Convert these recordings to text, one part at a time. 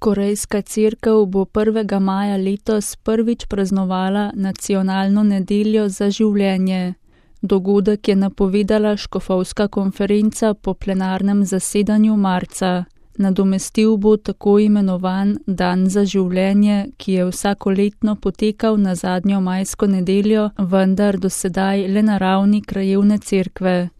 Korejska cerkev bo 1. maja letos prvič praznovala nacionalno nedeljo za življenje. Dogodek je napovedala škofovska konferenca po plenarnem zasedanju marca. Nadomestil bo tako imenovan Dan za življenje, ki je vsakoletno potekal na zadnjo majsko nedeljo, vendar do sedaj le na ravni krajevne cerkve.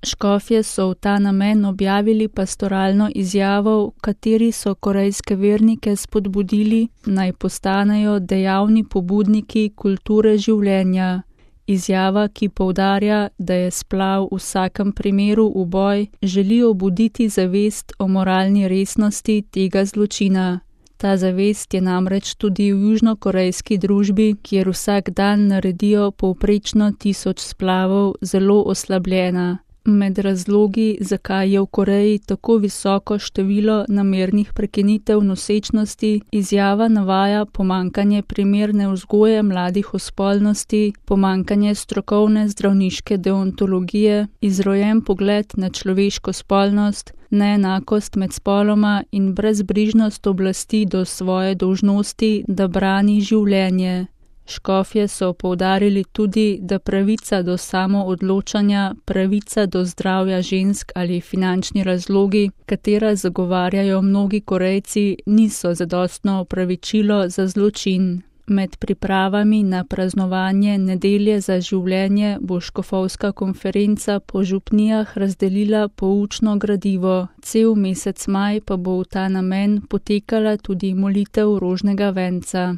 Škofje so v ta namen objavili pastoralno izjavo, v kateri so korejske vernike spodbudili, naj postanejo dejavni pobudniki kulture življenja. Izjava, ki poudarja, da je splav v vsakem primeru uboj, želi obuditi zavest o moralni resnosti tega zločina. Ta zavest je namreč tudi v južnokorejski družbi, kjer vsak dan naredijo povprečno 1000 splavov, zelo oslabljena. Med razlogi, zakaj je v Koreji tako visoko število namernih prekinitev nosečnosti, izjava navaja pomanjkanje primerne vzgoje mladih o spolnosti, pomanjkanje strokovne zdravniške deontologije, izrojen pogled na človeško spolnost, neenakost med spoloma in brezbrižnost oblasti do svoje dolžnosti, da brani življenje. Škofje so poudarili tudi, da pravica do samoodločanja, pravica do zdravja žensk ali finančni razlogi, katera zagovarjajo mnogi Korejci, niso zadostno opravičilo za zločin. Med pripravami na praznovanje nedelje za življenje bo škofovska konferenca po župnijah razdelila poučno gradivo. Cel mesec maj pa bo v ta namen potekala tudi molitev rožnega venca.